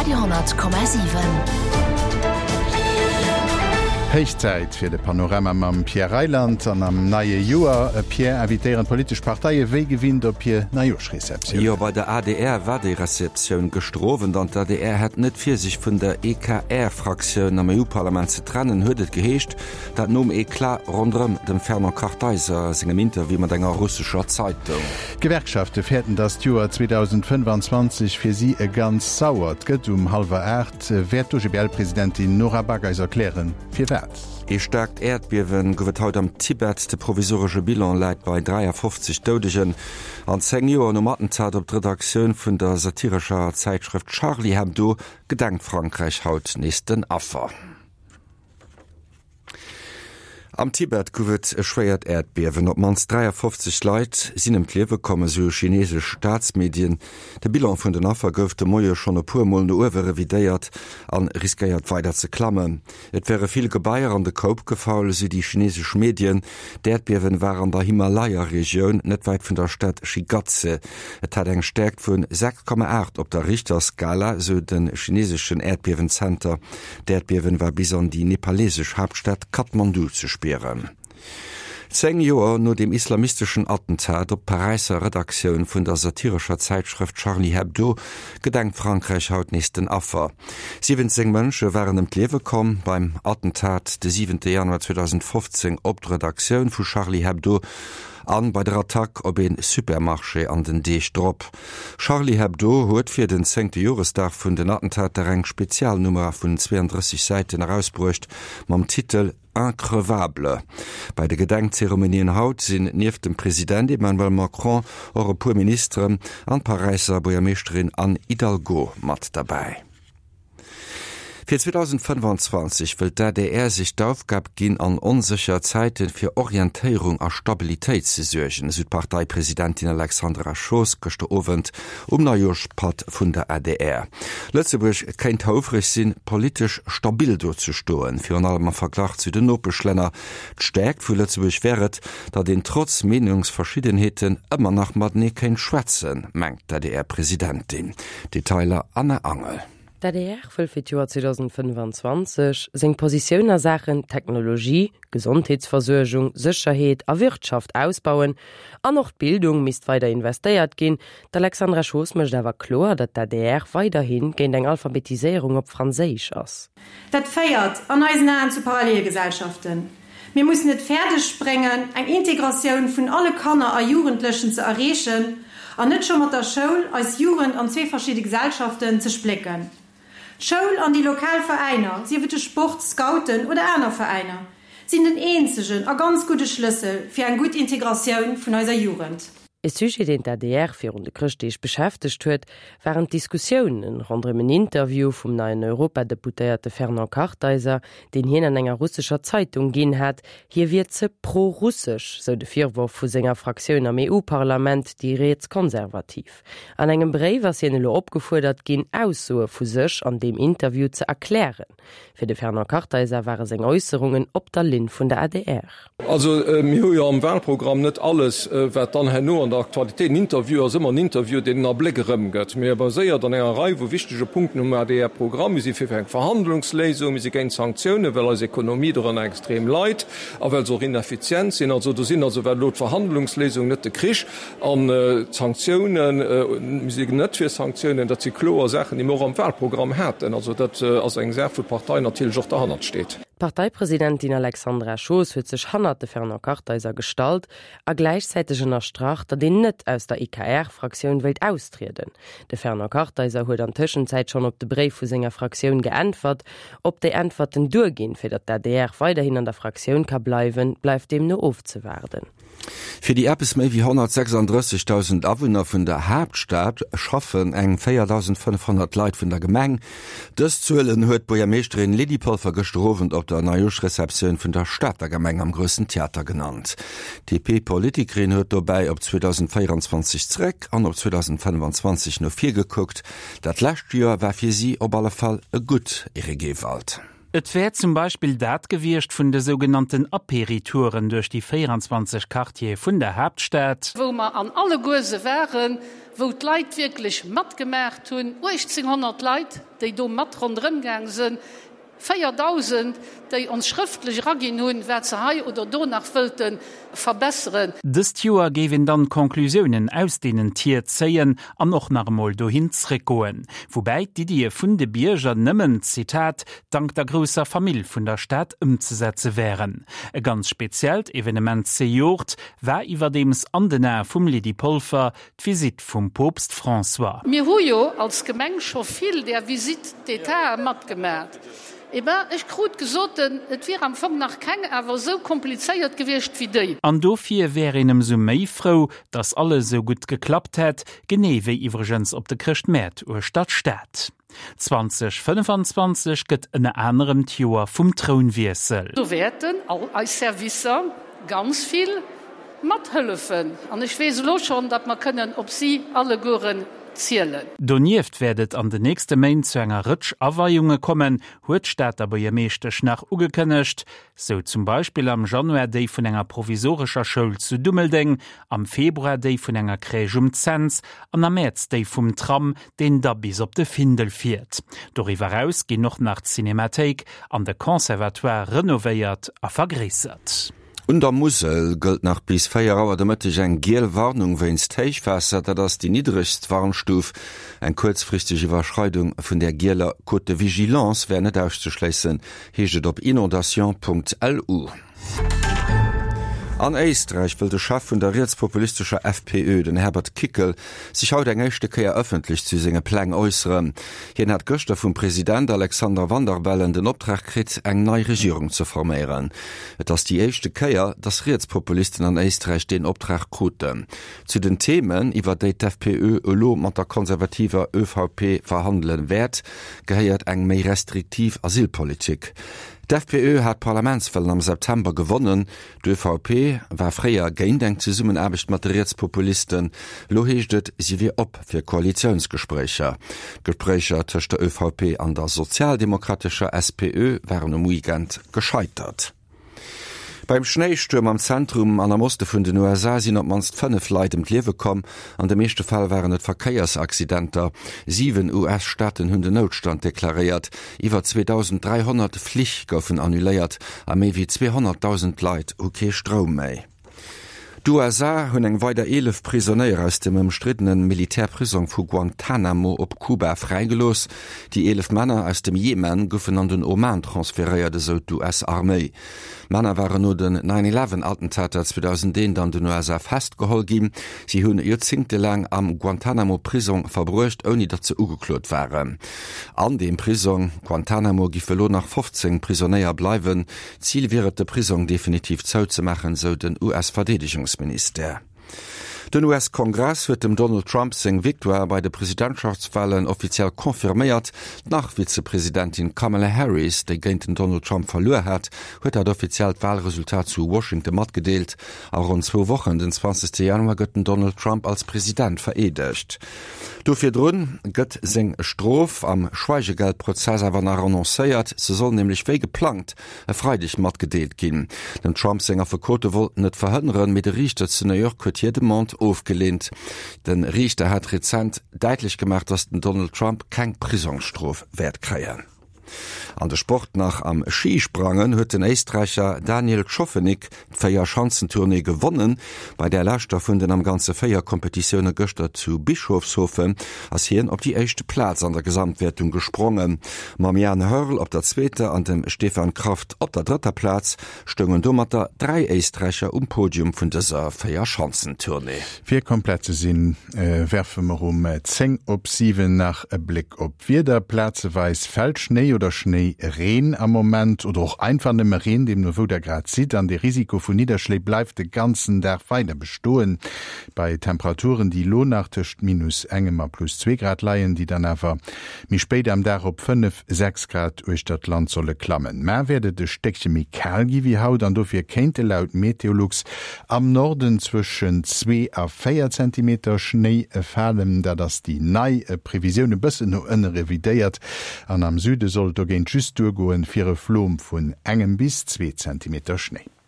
Radio 10,7. Héich Zäit fir de Panorama mam Pierre Reyland. An am neie Joer, Pierre, invitéieren d'politesch Parteie wéi gewinnt op hir Neijoerschreceptioun. Jo, bei der adr war déi Receptioun gëschter Owend an d'ADR hätt net vir, sech vun der EKR-Fraktioun am EU-Parlament ze trennen, huet et geheescht. Dat nom Eclat ronderëm dem Fernand Kartheiser sengem Interview mat enger russescher Zeitung. D'Gewerkschafte fäerten, datt d'Joer 2025 fir si e ganz sauert gëtt. Um hallwer 8 wäert d'OGBL-Presidentin Nora Back eis erklären, firwat. Ee staarkt Äerdbiewe gouf et haut am Tibet. De provisoresche Bilan läit bei 53 Doudegen. An 10 Joer nom Attentat op d'Redaktioun vun der satirescher Zäitschrëft Charlie Hebdo gedenkt Frankräich haut nees den Affer. Am Tibet gouf et e schwéiert Äerdbiewen. Op d'mannst 53 Leit sinn ëm d'Liewe komm, esou chineesesch Staatsmedien. De Bilan vun den Affer gouf de Moie schonn e puer Mol no uewe revidéiert a riskéiert weider ze klammen. Et wäre vill Gebaier an de Koup gefall, esou déi chineesesch Medien. D'Äerdbiewen war an der Himalaya-Regioun, net wäit vun der Stad Shigatse. Et hat eng Stäerkt vu 6,8 op der Richterskala, esou de chineeseschen Äerdbiewenzenter. D'Äerdbiewen war bis an déi nepalesesch Haaptstad Kathmandu ze spieren. 10 Joer no dem islamisteschen Attentat op d'Paräisser Redaktioun vun der satirescher Zäitschrëft Charlie Hebdo gedenkt Frankräich haut nees den Affer. 17 Mënsche waren ëm d'Liewe komm beim Attentat de 7 Januar 2015 op d'Redaktioun vu Charlie Hebdo an bei der Attack op ee Supermarché an den Deeg drop. Charlie Hebdo huet fir den zéngte Joresdag vun den Attentater eng Spezialnummer vun 32 Säiten erausbruecht mam Titel Increvable. Bei de Gedenkzeremonien haut sinn nieft dem President Emmanuel Macron och e puer Ministeren an d'Paräisser Buergermeeschterin Anne Hidalgo mat derbäi. Fir 2025 wëllt d'ADR sech d'Aufgab ginn, an onsécher Zäite fir Orientéierung a Stabilitéit ze suergen, esou d'Parteipresidentin Alexandra Schoos gëschter Owend um Neijoerschpatt vun der adr. Lëtzebuerg kéint houfreg sinn, politesch stabil do ze stoen, virun allem am Verglach zu den Nopeschlänner. D'Stäerkt vu Lëtzebuerg wär et, datt een trotz Meenungsverschiddenheeten ëmmer nach matenee kéint schwätzen, mengt d'ADR-Presidentin. Detailer Anna Angel. D'adr wëll fir d'Joer 2025 seng Positioun a Saachen Technologie, Gesondheetsversuergung, Sécherheet a Wirtschaft ausbauen an och d'Bildung misst weider investéiert ginn. D'Alexandra Schoos mécht awer kloer, datt d'adr weiderhi géint eng Alphabetiséierung op Franséisch ass. Dat féiert an eisen Aen zu Parallelgesellschaften. Mir mussen et fäerdeg bréngen, eng Integratioun vun alle Kanner a Jugendlechen ze erreechen an net scho mat der Schoul eis Jugend an zwee verschidde Gesellschaften ze splécken. D'Schoul an déi lokal Veräiner, sief et de Sport, Scouten oder aner Veräiner, sinn den eenzegen a ganz gudde Schlëssel fir eng gutt Integratioun vun eiser Jugend. E Sujet, deen d'ADR virun de Chrëschtdeeg beschäftegt huet, waren d'Diskussiounen ronderëm en Interview vum neien Europadeputéierte Fernand Kartheiser, deen hien an enger russescher Zeitung ginn hat. Hie wier ze pro-russesch, sou de Virworf vu senger Fraktioun am EU-Parlament, déi Rietskonservativ. An engem Bréif ass hien elo opgefuerdert ginn, Aussoe vu sech an deem Interview ze erklären. Fir de Fernand Kartheiser ware seng Äusserungen op der Linn vun der adr. Also mir hu jo am Wahlprogramm net alles, wat dann herno an der Aktualitéit, en Interview ass ëmmer en Interview, deen en Abléck erëmgëtt. Mir baséiert an enger Rei vu wichtege Punkten um ADR-Programm. Mir si fir eng Verhandlungsléisung, mir si géint Sanktiounen, well eis Ekonomie dorënner extrem leit a well se och ineffizient sinn. Also do sinn also, wat elo d'Verhandlungsléisung, net de Krich, An d'Sanktiounen, mir si net fir Sanktiounen, dat si kloer Saachen, déi mir och am Wahlprogramm haten. Also dat ass eng Saach, wou d'Partei natierlech och derhannert steet. D'Parteipresidentin Alexandra Schoos huet sech hannert de Fernand Kartheiser gestallt a gläichzäiteg ënnerstrach, datt een net aus der EKR-Fraktioun wéilt austrieden. De Fernand Kartheiser huet an Tëschenzäit schonn op de Bréif vu senger Fraktioun geäntwert. Ob déi Äntwerten duerginn, fir datt d'ADR weiderhin an der Fraktioun ka bleiwen, bleift deemno ofzewaarden. Fir déi eppes méi wéi 136.000 Awunner vun der Haaptstad schaffen eng 4.500 Leit vun der Gemeng. Dës Zuelen huet d'Buergermeeschterin Lydie Polfer gëschter Owend op der Neijoerschreceptioun vun der Stater Gemeng am Groussen Theater genannt. D'DP-Politikerin huet dobäi op 2024 zeréck an op 2025 no vir gekuckt. Dat lescht Joer war fir si op alle Fall e gutt, Eric Ewald. Et wär zum Beispill dat gewiescht vun de sougenannten Apéri-Touren duerch déi 24 Quartiere vun der Haaptstad. Wou mer an alleguerse waren, wou d'Leit wierklech matgemaacht hunn, 1.800 Leit, déi do mat ronderëm gaang sënn, 4.000, déi ons schrëftlech eraginn hunn, wat se hei oder do nach wëllte verbesseren. Dëst Joer géif een dann d'Conclusiounen aus deenen Tier zéien an och nach emol dohin zréckgoen. Woubäi d'Iddie vun de Bierger nëmmen, Zitat, dank der grousser Famill vun der Stad ëmzesetze wären. E ganz speziellt Evenement zejoert war iwwerdeems an den Ae vum Lydie Polfer d'Visitt vum Poopst François. Mir hu jo als Gemeng scho vill där Visites d'Étatë matgemat. Eh ben, ech krut gesoten, et wier am Fong nach keng awer esou komplizéiert gewiescht wéi déi. An dofir wär een ëmsou méi frou, dass alles esou gutt geklappt hätt, genee wéi iwwregens op de Chrëschtmäert uechter d'Stad. 2025 gëtt ënner anerem d'Joer vum Trounwiessel. Do wäerten all eis Servicer ganz vill mathëllefen an ech weess elo schonn, datt mer kënnen op si allegueren zielen. Donieft wäert et an den nächste Méint zu enger Rëtsch Aweiunge kommen, huet d'Stater Buergermeeschtesch nach ugekënnegt. Sou zum Beispill am Januar déi vun enger provisorescher Schoul zu Dummeldeng, am Februar déi vun enger Crèche um Cents an am Mäerz déi vum Tram, deen da bis op de Findel fiert. Doriwwer eraus ginn och nach d'Cinémathéik an de Conservatoire renovéiert a vergréissert. Un der Musel gëllt nach bis 4 Auer de Mëtteg eng giel Warnung wéinst Héichwaasser. Dat ass déi niddregst Warnstuf. Eng kuerzfristeg Iwwerschreidung vun där gieler Cote de vigilance wär net auszeschléissen, heescht et op inondation.lu. An Éisträich wëll de Chef vun der rietspopulistescher FPÖ, den Herbert Kickl, sech haut eng éischte Kéier ëffentlech zu senge Pläng äusseren. Hien hat gëschter vum President Alexander Van der Bellen den Optrag kritt, eng nei Regierung ze forméieren. Et ass déi éischte Kéier, datt Rietspopulisten an Éisträich deen Optrag kruten. Zu den Themen, iwwer déi d'FPÖ elo mat der konservativer ÖVP verhandele wäert, gehéiert eng méi restriktiv Asylpolitik. D'FPÖ hat d'Parlamentswalen am September gewonnen. D'ÖVP war fréier géint eng Zesummenaarbecht mat de Rietspopulisten. Elo heescht et, si wier op fir Koalitiounsgespréicher. D'Gespréicher tëscht der ÖVP an der sozialdemokratescher SPÖ waren um Weekend gescheitert. Beim Schnéistuerm am Zentrum an am Oste vun den USA sinn op d'mannst 5 Leit ëm d'Liewe komm. An de meeschte Fäll waren et Verkéiersaccidenter. 7 US-Staaten hunn den Noutstand deklaréiert. Iwwer 2.300 Flich goufen annuléiert a méi wéi 200.000 Leit hu kee Stroum méi. D'USA hunn eng weider 11 Prisonéier aus dem ëmstriddene Militärprisong vu Guantanamo op Kuba fräigelooss. Déi 11 Männer aus dem Jemen goufen an den Oman transferéiert, esou d'US-Arméi. D'Männer waren no den Nine Eleven Attentater 2001 an den USA festgeholl ginn. Si hunn joerzéngtelaang am Guantanamo Prisong verbruecht, ouni datt se ugeklot waren. An deem Prisong Guantanamo giff elo nach 15 Prisonéier bleiwen. Zil wier et, de Prisong definitiv zouzemaachen, sou den US-Verdeedegungsministère. Den US-Kongress huet dem Donald Trump seng Victoire bei de Presidentschaftswalen offiziell confirméiert. D'Nach-Vizepresidentin Kamala Harris, déi géint den Donald Trump verluer hat, huet dat offiziellt Walresultat zu Washington matgedeelt. A ronn zwou Wochen, den 20 Januar, gëtt den Donald Trump als President vereedegt. Do virdrun gëtt seng Strof am Schweigegeldprozess awer nach annoncéiert. Se soll nämlech wéi geplangt e Freideg matgedeelt ginn. Dem Trump seng Affekote wollten et verhënneren, mee de Riichter zu New York huet hir Demande ofgeleent. De Riichter hat rezent däitlech gemaach, datt den Donald Trump keng Prisongsstrof wäert kréien. An de Sport nach, Am Schisprangen huet den Éisträicher Daniel Tschofenig d'Véierschanzentournée gewonnen. Bei där leschter vun den am Ganze 4 Kompetitioune gëschter zu Bischofshofen ass hien op déi éischt Plaz an der Gesamtwäertung gesprongen. Mam Jan Hörl op der zweeter an dem Stefan Kraft op der drëtter Plaz stoungen domatter 3 Éisträicher um Podium vun dëser Véierschanzentournée. Fir komplett ze sinn, werfe mer um 10 op 7 nach e Bléck op d'Wieder. Plazeweis fält Schnéi oder Schnéireen am Moment oder och einfach nëmme Reen, deemno wou der grad sidd. An de Risiko vu Nidderschléi bleift de ganzen Dag weider bestoen. Bei Temperaturen, déi elo nach tëscht minus engem a plus zwee Grad leien, déi dann awer méi spéit am Dag op 5, 6 Grad uechter d'Land solle klammen. Mar wäert et e Stéckche méi kal gi wéi haut an dofir kéinte laut Meteolux am Norden zwëschen 2 a 4 Zentimeter Schnéi falen. Dat ass déi nei Previsioun, e bëssen no ënne revidéiert. An am Süde soll. sollt dogéint just duergoen fir e Flom vun engem bis 2 Zentimeter Schnéi.